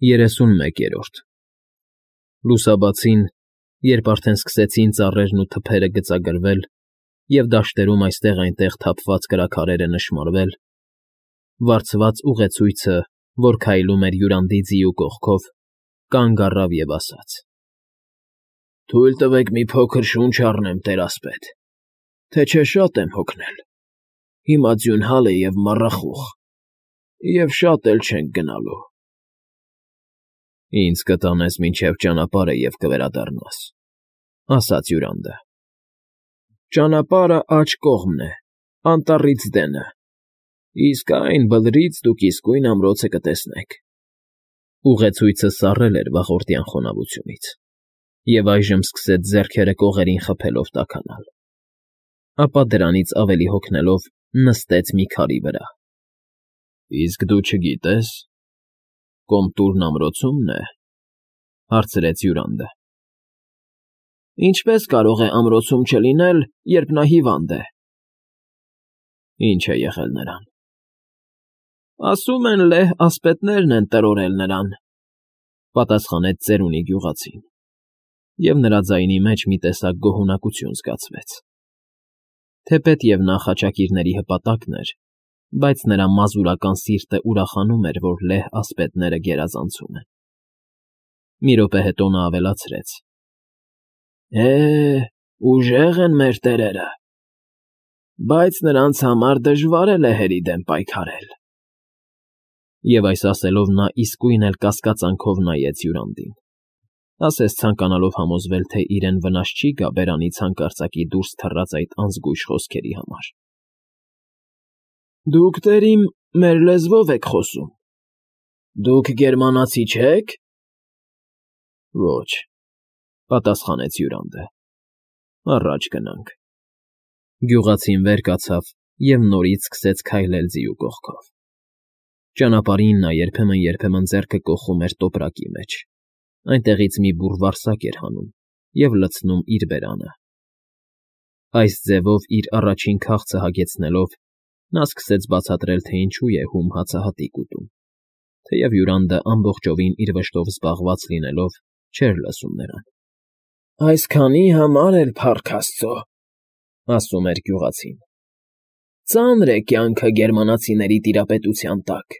31-րդ Լուսաբացին, երբ արդեն սկսեցին ծառերն ու թփերը գծագրվել և դաշտերում այստեղ֊այնտեղ թափված կրաքարերը նշմարվել, վարձված ուղեցույցը, որ քայլում էր յուրանդի ձիու կողքով, կանգ առավ և ասաց. «Թույլ տվեք մի փոքր շունչ առնեմ, տեր֊ասպետ, թե չէ շատ եմ հոգնել, հիմա ձյունհալ է և մառախուղ, և շատ էլ չենք գնալու»։ ֊ Ինձ կտանես մինչև ճանապարհը և կվերադառնաս, ֊ ասաց հյուրանդը։ ֊ Ճանապարհն աջ կողմն է, անտառից դենը, իսկ այն բլրից դուք իսկույն ամրոցը կտեսնեք։ Ուղեցույցը սառել էր վաղորդյան խոնավությունից և այժմ սկսեց ձեռքերը կողերին խփելով տաքանալ, ապա դրանից ավելի հոգնելով նստեց մի քարի վրա։ ֊ Իսկ դու չգիտե՞ս, Կոմտուրն ամրոցումն է,֊ հարցրեց հյուրանդը։ ֊ Ինչպե՞ս կարող է ամրոցում չլինել, երբ նա հիվանդ է։ ֊ Ի՞նչ է եղել նրան։ ֊ Ասում են լեհ ասպետներն են տրորել նրան,֊ պատասխանեց ծերունի գյուղացին, և նրա ձայնի մեջ մի տեսակ գոհունակություն զգացվեց։ Թեպետև նա խաչակիրների հպատակն էր, բայց նրա մազուրական սիրտը ուրախանում էր, որ լեհ ասպետները գերազանցում են։ Մի րոպե հետո նա ավելացրեց. ֊ Ուժեղ են մեր տերերը, բայց նրանց համար դժվար է լեհերի դեմ պայքարել։ Եվ այս ասելով նա իսկույն էլ կասկածանքով նայեց հյուրանդին, ասես ցանկանալով համոզվել, թե իրեն վնաս չի գա բերանից հանկարծակի դուրս թռած այդ անզգույշ խոսքերի համար։ ֊ Դուք, տերիմ, մեր լեզվով եք խոսում, դուք գերմանացի չե՞ք։ ֊ Ոչ,֊ պատասխանեց հյուրանդը։ ֊ Առաջ գնանք։ Գյուղացին վեր կացավ և նորից սկսեց քայլել ձիու կողքով։ Ճանապարհին նա երբեմն ձեռքը կոխում էր տոպրակի մեջ, այնտեղից մի բուռ վարսակ էր հանում և լցնում իր բերանը։ Այս ձևով իր առաջին քաղցը հագեցնելով՝ նա սկսեց բացատրել, թե ինչու է հում հացահատիկ ուտում, թեև հյուրանդը ամբողջովին իր վշտով զբաղված լինելով չէր լսում նրան։ ֊ Այսքանի համար էլ, փառք աստծո,֊ ասում էր գյուղացին,֊ ծանր է կյանքը գերմանացիների տիրապետության տակ։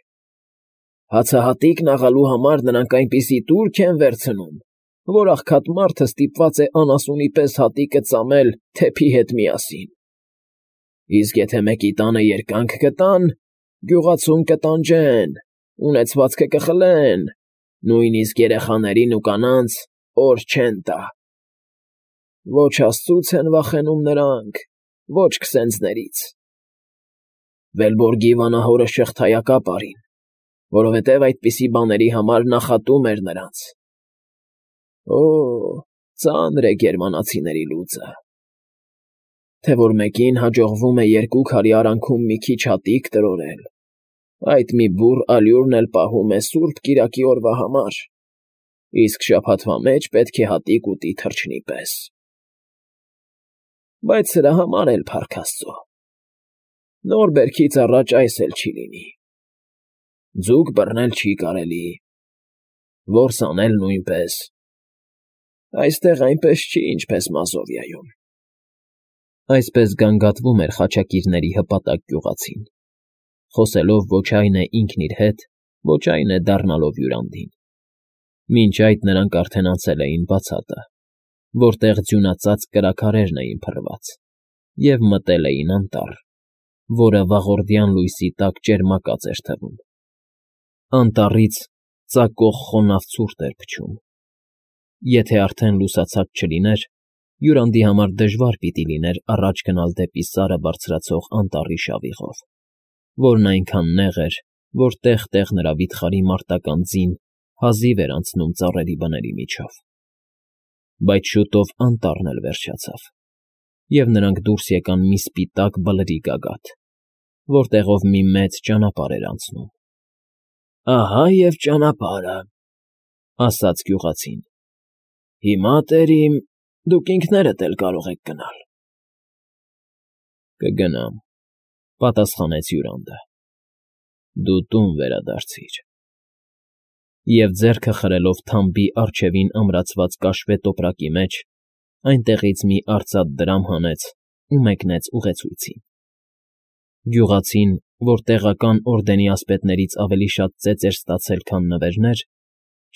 Հացահատիկն աղալու համար նրանք այնպիսի տուրք են վերցնում, որ աղքատ մարդը ստիպված է անասունի պես հատիկը ծամել թեփի հետ միասին։ Իսկ եթե մեկի տանը երկանք գտան, գյուղացում կտանջեն, ունեցվածքը կխլեն, նույնիսկ երեխաներին ու կանանց օր չեն տա։ Ոչ աստծուց են վախենում նրանք, ոչ քսենձներից։ Վելբորգի վանահորը շղթայակապ արին, որովհետև այդպիսի բաների համար նախատում էր նրանց։ Օ՜, ծանր է գերմանացիների լուծը։ Թե որ մեկին հաջողվում է 2 քարի արանքում մի քիչ հատիկ տրորել, այդ մի բուռ ալյուրն էլ պահում է սուրբ կիրակի օրվա համար, իսկ շաբաթվա մեջ պետք է հատիկ ուտի թռչնի պես։ Բայց սրա համար էլ, փառք աստծո, նոր բերքից առաջ այս էլ չի լինի. ձուկ բռնել չի կարելի, որս անել նույնպես։ Այստեղ այնպես չի, ինչպես Մազովիայում։ Այսպես գանգատվում էր խաչակիրների հպատակ գյուղացին, խոսելով ոչ այն է ինքն իր հետ, ոչ այն է դառնալով հյուրանդին։ Մինչ այդ նրանք արդեն անցել էին բացատը, որտեղ ձյունածածկ կրաքարերն էին փռված, և մտել էին անտառ, որը վաղորդյան լույսի տակ ճերմակած էր թվում։ Անտառից ծակող խոնավ ցուրտ էր փչում։ Եթե արդեն լուսացած չլիներ, հյուրանդի համար դժվար պիտի լիներ առաջ գնալ դեպի Սարը բարձրացող անտառի շավիղով, որն այնքան նեղ էր, որ տեղ֊տեղ նրա վիթխարի մարտական ձին հազիվ էր անցնում ծառերի բների միջով։ Բայց շուտով անտառն էլ վերջացավ, և նրանք դուրս եկան մի սպիտակ բլրի գագաթ, որտեղով մի մեծ ճանապարհ էր անցնում։ ֊ Ահա և ճանապարհը,֊ ասաց գյուղացին։ ֊ Հիմա, տերիմ, դուք ինքներդ էլ կարող եք գնալ։ ֊ Կգնամ,֊ պատասխանեց հյուրանդը։ ֊ Դու տուն վերադարձիր։ Եվ ձեռքը խրելով թամբի առջևին ամրացված կաշվե տոպրակի մեջ, այնտեղից մի արծաթ դրամ հանեց ու մեկնեց ուղեցույցին։ Գյուղացին, որ տեղական օրդենի ասպետներից ավելի շատ ծեծ էր ստացել, քան նվերներ,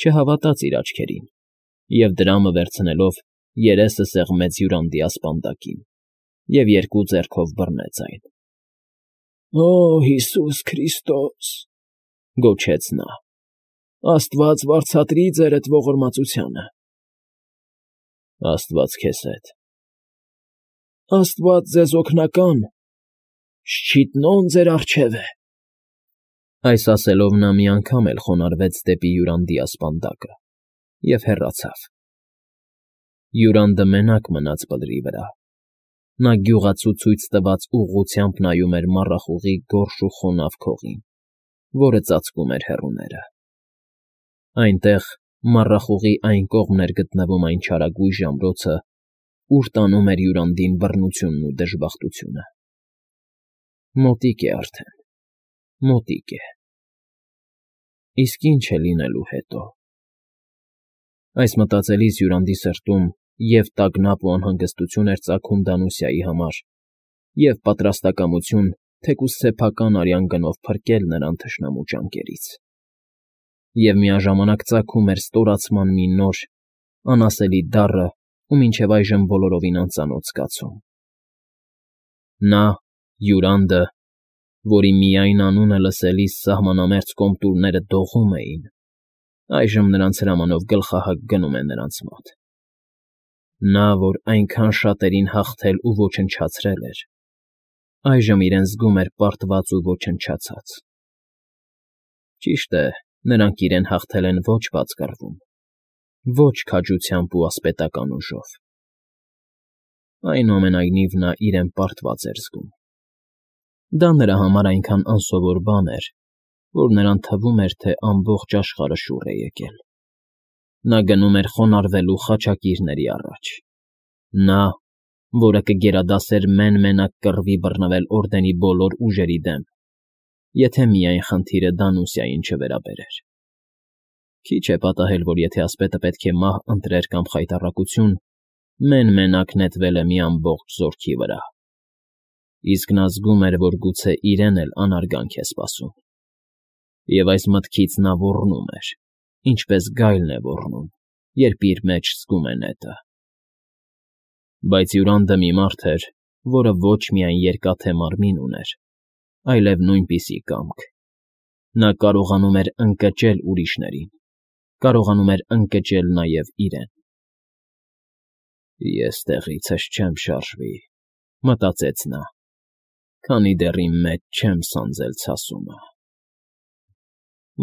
չհավատաց իր աչքերին և դրամը վերցնելով երեսը սեղմեց հյուրանդի ասպանդակին և երկու ձեռքով բռնեց այն։ «Օ Հիսուս Քրիստոս,֊ գոչեց նա,֊ Աստված վարձատրի ձերդ ողորմածությանը»։ «Աստված քեզ հետ»։ «Աստված ձեզ օգնական, շչիտնոն ձեր առջև է»։ Այս ասելով նա մի անգամ էլ խոնարհվեց դեպի հյուրանդի ասպանդակը և հեռացավ։ Հյուրանդը մենակ մնաց բլրի վրա։ Նա գյուղացու ցույց տված ուղղությամբ նայում էր մառախուղի գորշ ու խոնավ քողին, որը ծածկում էր հեռուները։ Այնտեղ, մառախուղի այն կողմն էր գտնվում այն չարագույժ ամրոցը, ուր տանում էր հյուրանդին բռնությունն ու դժբախտությունը։ Մոտիկ է արդեն, մոտիկ է։ Իսկ ինչ է լինելու հետո։ Այս մտածելիս հյուրանդի սրտում և տագնապ ու անհանգստություն էր ծագում Դանուսիայի համար, և պատրաստակամություն թեկուզ սեփական արյան գնով փրկել նրան թշնամու ճանկերից։ Եվ միաժամանակ ծագում էր ստորացման մի նոր, անասելի դառը ու մինչև այժմ բոլորովին անծանոթ զգացում։ Նա՝ հյուրանդը, որի միայն անունը լսելիս սահմանամերձ կոմտուրները դողում էին, այժմ նրանց հրամանով գլխահակ գնում է նրանց մոտ։ Նա, որ այնքան շատերին հաղթել ու ոչնչացրել էր, այժմ իրեն զգում էր պարտված ու ոչնչացած։ Ճիշտ է, նրանք իրեն հաղթել են ոչ բաց կռվում, ոչ քաջությամբ ու ասպետական ուժով։ Այնուամենայնիվ նա իրեն պարտված էր զգում։ Դա նրա համար այնքան անսովոր բան էր, որ նրան թվում էր, թե ամբողջ աշխարհը շուռ է եկել։ Նա գնում էր խոնարհվելու խաչակիրների առաջ։ Նա, որը կգերադասեր մեն֊մենակ կռվի բռնվել օրդենի բոլոր ուժերի դեմ, եթե միայն խնդիրը Դանուսիային չվերաբերեր։ Քիչ է պատահել, որ եթե ասպետը պետք է մահ ընտրեր կամ խայտառակություն, մեն֊մենակ նետվել է մի ամբողջ զորքի վրա։ Իսկ նա զգում էր, որ գուցե իրեն էլ անարգանք է սպասում։ Եվ այս մտքից նա ոռնում էր, ինչպես գայլն է ոռնում, երբ իր մեջ զգում է նետը։ Բայց հյուրանդը մի մարդ էր, որը ոչ միայն երկաթե մարմին ուներ, այլև նույնպիսի կամք։ Նա կարողանում էր ընկճել ուրիշներին, կարողանում էր ընկճել նաև իրեն։ «Ես տեղիցս չեմ շարժվի,֊ մտածեց նա,֊ քանի դեռ իմ մեջ չեմ սանձել ցասումը,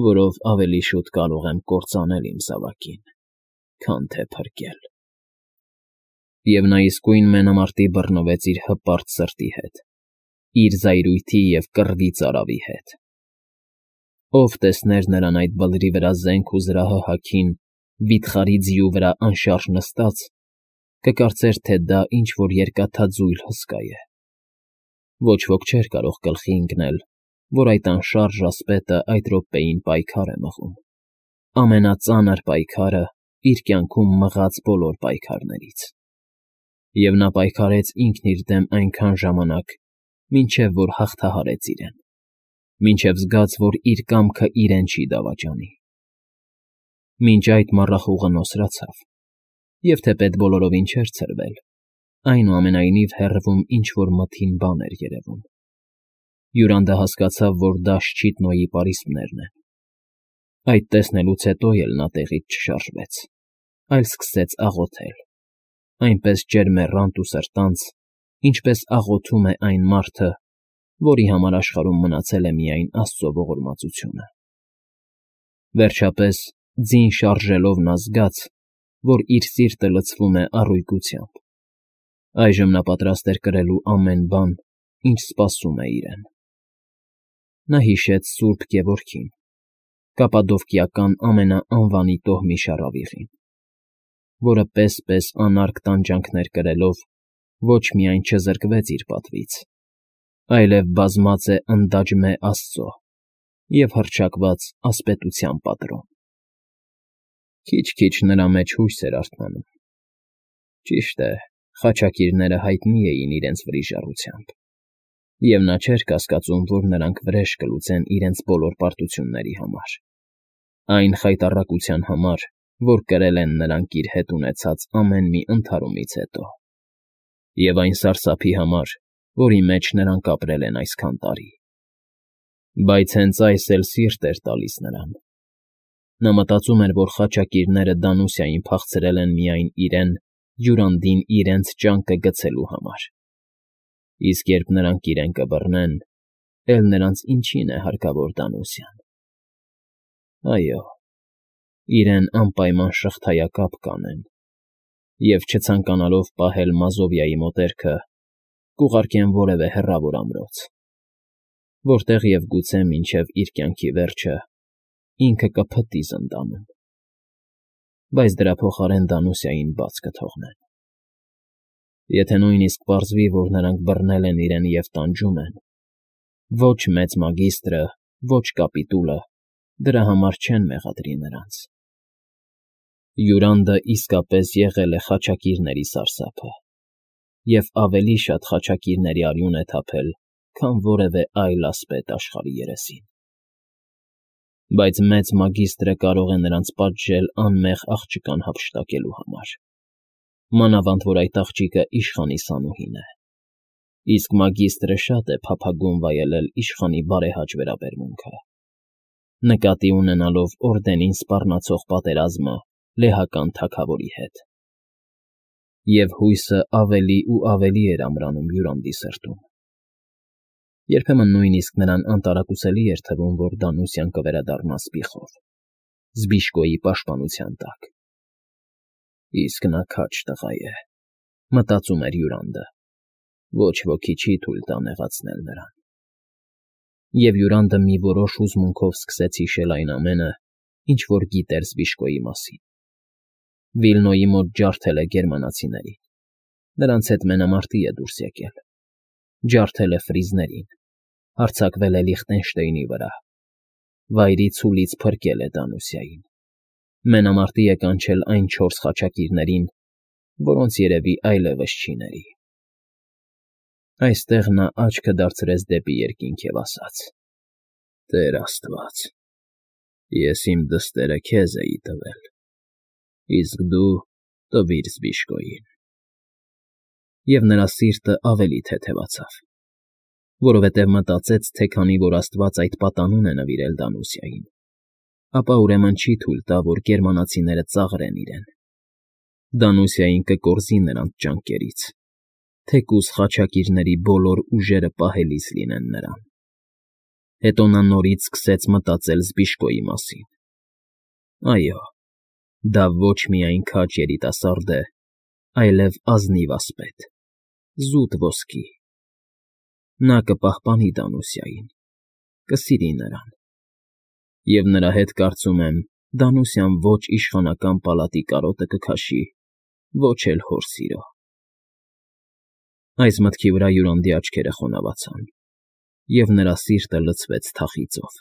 որով ավելի շուտ կարող եմ կործանել իմ զավակին, քան թե փրկել»։ Եվ նա իսկույն մենամարտի բռնվեց իր հպարտ սրտի հետ, իր զայրույթի և կռվի ծարավի հետ։ Ով տեսներ նրան այդ բլրի վրա զենք ու զրահը հագին, վիթխարի ձիու վրա անշարժ նստած, կկարծեր, թե դա ինչ֊որ երկաթաձույլ հսկա է։ Ոչ ոք չէր կարող գլխի ընկնել, որ այդ անշարժ ասպետը այդ րոպեին պայքար է մղում, ամենածանր պայքարը իր կյանքում մղած բոլոր պայքարներից։ Եվ նա պայքարեց ինքն իր դեմ այնքան ժամանակ, մինչև որ հաղթահարեց իրեն, մինչև զգաց, որ իր կամքը իրեն չի դավաճանի։ Մինչ այդ մառախուղը նոսրացավ, և թեպետ բոլորովին չէր ցրվել, այնուամենայնիվ հեռվում ինչ֊որ մթին բան էր երևում։ Հյուրանդը հասկացավ, որ դա Շչիտնոյի պարիսպներն են։ Այդ տեսնելուց հետո էլ նա տեղից չշարժվեց, այլ սկսեց աղոթել, այնպես ջերմեռանդ ու սրտանց, ինչպես աղոթում է այն մարդը, որի համար աշխարհում մնացել է միայն Աստծո ողորմածությունը։ Վերջապես, ձին շարժելով նա զգաց, որ իր սիրտը լցվում է առույգությամբ։ Այժմ նա պատրաստ էր կրելու ամեն բան, ինչ սպասում է իրեն։ Նա հիշեց Սուրբ Գևորգին, կապադովկիական ամենաանվանի տոհմի շառավիղին, որը պես֊պես անարգ տանջանքներ կրելով ոչ միայն չզրկվեց իր պատվից, այլև բազմած է ընդաջմե Աստծո և հռչակված ասպետության պատրոն։ Քիչ-քիչ նրա մեջ հույս էր արթնանում։ Ճիշտ է, խաչակիրները հայտնի էին իրենց վրիժառությամբ, և նա չէր կասկածում, որ նրանք վրեժ կլուծեն իրենց բոլոր պարտությունների համար, այն խայտառակության համար, որ կրել են նրանք իր հետ ունեցած ամեն մի ընդհարումից հետո, և այն սարսափի համար, որի մեջ նրանք ապրել են այսքան տարի։ Բայց հենց այս էլ սիրտ էր տալիս նրան։ Նա մտածում էր, որ խաչակիրները Դանուսիային փախցրել են միայն իրեն, Յուրանդին իրենց ճանկը գցելու համար, իսկ երբ նրանք իրեն կբռնեն, էլ նրանց ինչին է հարկավոր Դանուսիան։ Այո, իրեն անպայման շղթայակապ կանեն, և չցանկանալով պահել Մազովիայի մոտերքը, կուղարկեն որևէ հեռավոր ամրոց, որտեղ և գուցե մինչև իր կյանքի վերջը ինքը կփտտի զնդանում, բայց դրա փոխարեն Դանուսիային բաց կթողնեն։ Եթե նույնիսկ պարզվի, որ նրանք բռնել են իրեն և տանջում են, ոչ մեծ մագիստրը, ոչ կապիտուլը դրա համար չեն մեղադրի նրանց։ Յուրանդը իսկապես եղել է խաչակիրների սարսափը, և ավելի շատ խաչակիրների արյուն է թափել, քան որևէ այլ ասպետ աշխարհի երեսին։ Բայց մեծ մագիստրը կարող է նրանց պատժել անմեղ աղջկան հափշտակելու համար, մանավանդ որ այդ աղջիկը իշխանի սանուհին է, իսկ մագիստրը շատ է փափագում վայելել իշխանի բարեհաճ վերաբերմունքը, նկատի ունենալով օրդենին սպառնացող պատերազմը լեհական թագավորի հետ։ Եվ հույսը ավելի ու ավելի էր ամրանում Յուրանդի սրտում։ Երբեմն նույնիսկ նրան անտարակուսելի էր թվում, որ Դանուսիան կվերադառնա սպիխով, Զբիշկոյի պաշտպանության տակ։ Իսկ նա քաջ տղա է, մտածում էր Յուրանդը, ոչ ոքի չի թույլ տա նեղացնել նրան։ Եվ Յուրանդը մի որոշ հուզմունքով սկսեց հիշել այն ամենը, ինչ որ գիտեր Զբիշկոյի մասին։ Վիլնոյի մոտ ջարդել է գերմանացիներին, նրանց հետ մենամարտի է դուրս եկել, ջարդել է ֆրիզներին, հարձակվել է Լիխտենշտեյնի վրա, վայրի ցուլից փրկել է Դանուսիային, մենամարտի է կանչել այն 4 խաչակիրներին, որոնց երևի այլևս չի ների։ Այստեղ նա աչքը դարձրեց դեպի երկինք և ասաց. «Տեր Աստված, ես իմ դստերը քեզ էի տվել, իսկ դու տվիր Զբիշկոյին»։ Եվ նրա սիրտը ավելի թեթևացավ, որովհետև մտածեց, թե քանի որ Աստված այդ պատանուն է նվիրել Դանուսիային, ապա ուրեմն չի թույլ տա, որ գերմանացիները ծաղրեն իրեն։ Դանուսիային կկորզի նրանց ճանկերից, թեկուզ խաչակիրների բոլոր ուժերը պահելիս լինեն նրան։ Հետո նա նորից սկսեց մտածել Զբիշկոյի մասին։ Այո, դա ոչ միայն քաջ երիտասարդ է, այլև ազնիվ ասպետ, զուտ ոսկի։ Նա կպահպանի Դանուսիային, կսիրի նրան, և նրա հետ, կարծում եմ, Դանուսիան ոչ իշխանական պալատի կարոտը կքաշի, ոչ էլ հոր սիրո։ Այս մտքի վրա Յուրանդի աչքերը խոնավացան, և նրա սիրտը լցվեց թախիծով։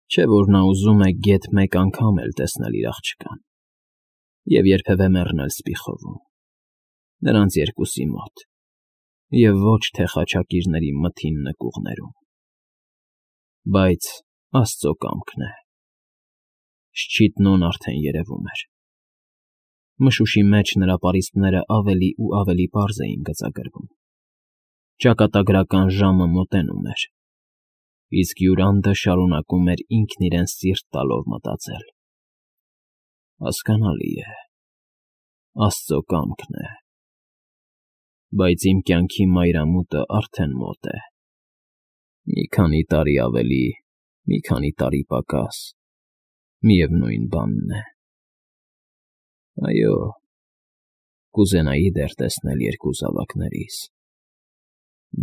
Չէ՞ որ նա ուզում է գեթ մեկ անգամ էլ տեսնել իր աղջկան և երբևէ մեռնել սպիխովում, նրանց երկուսի մոտ, և ոչ թե խաչակիրների մթին նկուղներում։ Բայց Աստծո կամքն է։ Շչիտնոն արդեն երևում էր։ Մշուշի մեջ նրա պարիսպները ավելի ու ավելի պարզ էին գծագրվում։ Ճակատագրական ժամը մոտենում էր, իսկ Յուրանդը շարունակում էր ինքն իրեն սիրտ տալով մտածել. հասկանալի է, Աստծո կամքն է։ Բայց իմ կյանքի մայրամուտը արդեն մոտ է։ Մի քանի տարի ավելի, մի քանի տարի պակաս, միևնույն բանն է։ Այո, կուզենայի դեռ տեսնել երկու զավակներիս,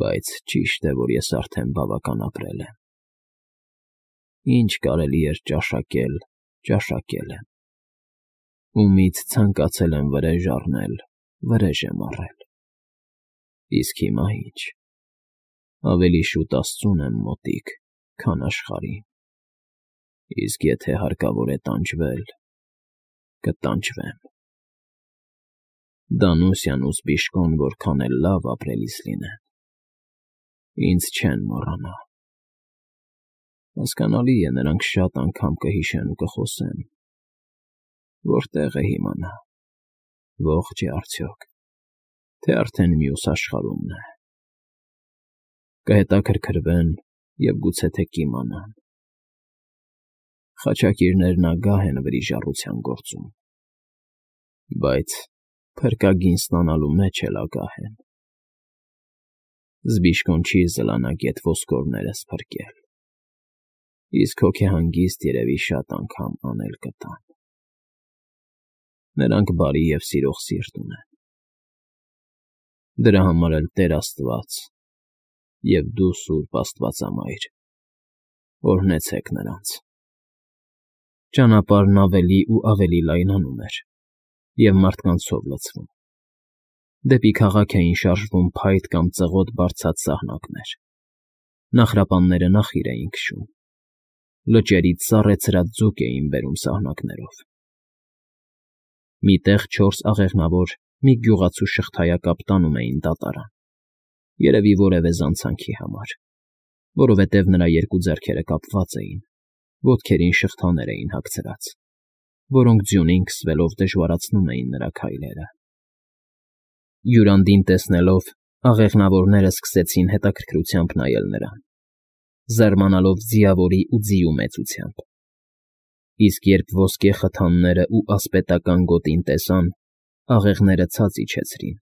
բայց ճիշտ է, որ ես արդեն բավական ապրել եմ։ Ինչ կարելի էր ճաշակել, ճաշակել եմ։ Ումից ցանկացել եմ վրեժ առնել, վրեժ եմ առել։ Իսկ հիմա ինչ, ավելի շուտ Աստծուն եմ մոտիկ, քան աշխարհին։ Իսկ եթե հարկավոր է տանջվել, կտանջվեմ։ Դանուսյան ու Զբիշկոն որքան էլ լավ ապրելիս լինեն, ինձ չեն մոռանա։ Հասկանալի է, նրանք շատ անգամ կհիշեն ու կխոսեն, որտեղ է հիմա նա, ողջ է արդյոք, թե արդեն մյուս աշխարհումն է։ Կհետաքրքրվեն և գուցե թե կիմանան։ Խաչակիրներն ագահ են վրիժառության գործում, բայց փրկագին ստանալու մեջ էլ ագահ են։ Զբիշկոն չի զլանա գետ ոսկորներս փրկել, իսկ հոգեհանգիստ երևի շատ անգամ անել կտան։ Նրանք բարի և սիրող սիրտ ունեն։ Դրա համար էլ Տեր Աստված և դու, Սուրբ Աստվածամայր, օրհնեցեք նրանց։ Ճանապարհն ավելի ու ավելի լայնանում էր և մարդկանցով լցվում։ Դեպի քաղաք էին շարժվում փայտ կամ ծղոտ բարձած սահնակներ։ Նախրապանները նախիր էին քշում։ Լճերից սառեցրած ձուկ էին բերում սահնակներով։ Մի տեղ 4 աղեղնավոր մի գյուղացու շղթայակապ տանում էին դատարան, երևի որևէ զանցանքի համար, որովհետև նրա երկու ձեռքերը կապված էին, ոտքերին շղթաներ էին հագցրած, որոնք ձյունին քսվելով դժվարացնում էին նրա քայլերը։ Յուրանդին տեսնելով, աղեղնավորները սկսեցին հետաքրքրությամբ նայել նրան, զարմանալով ձիավորի ու ձիու մեծությամբ։ Իսկ երբ ոսկե խթաններն ու ասպետական գոտին տեսան, աղեղները ցած իջեցրին,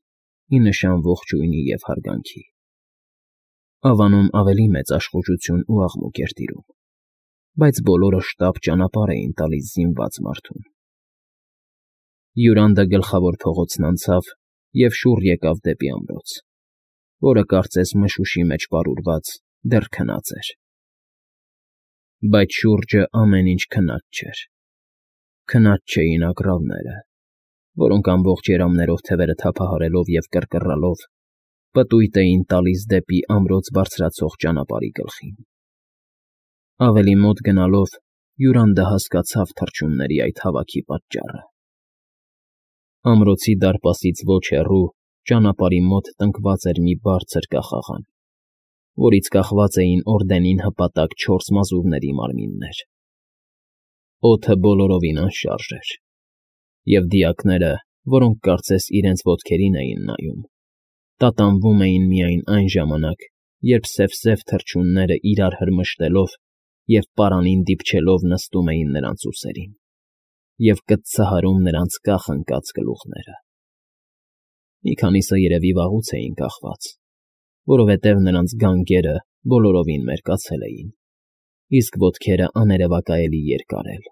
ի նշան ողջույնի և հարգանքի։ Ավանում ավելի մեծ աշխուժություն ու աղմուկ էր տիրում, բայց բոլորը շտապ ճանապարհ էին տալիս զինված մարդուն։ Յուրանդը գլխավոր փողոցն անցավ և շուռ եկավ դեպի ամրոց, որը կարծես մշուշի մեջ պարուրված դեռ քնած էր։ Բայց շուրջը ամեն ինչ քնած չէր։ Քնած չէին ագռավները, որոնք ամբողջ երամներով թևերը թափահարելով և կռկռալով պտույտ էին տալիս դեպի ամրոց բարձրացող ճանապարհի գլխին։ Ավելի մոտ գնալով Յուրանդը հասկացավ թռչունների այդ հավաքի պատճառը։ Ամրոցի դարպասից ոչ հեռու ճանապարհի մոտ տնկված էր մի բարձր կախաղան, որից կախված էին օրդենին հպատակ 4 մազուրների մարմիններ։ Օդը բոլորովին անշարժ էր, և դիակները, որոնք կարծես իրենց ոտքերին էին նայում, տատանվում էին միայն այն ժամանակ, երբ սև թռչունները իրար հրմշտելով և պարանին դիպչելով նստում էին նրանց ուսերին և կծծահարում նրանց կախ ընկած գլուխները։ Մի քանիսը երևի վաղուց էին կախված, որովհետև նրանց գանգերը բոլորովին մերկացել էին, իսկ ոտքերը աներևակայելի երկար էլ։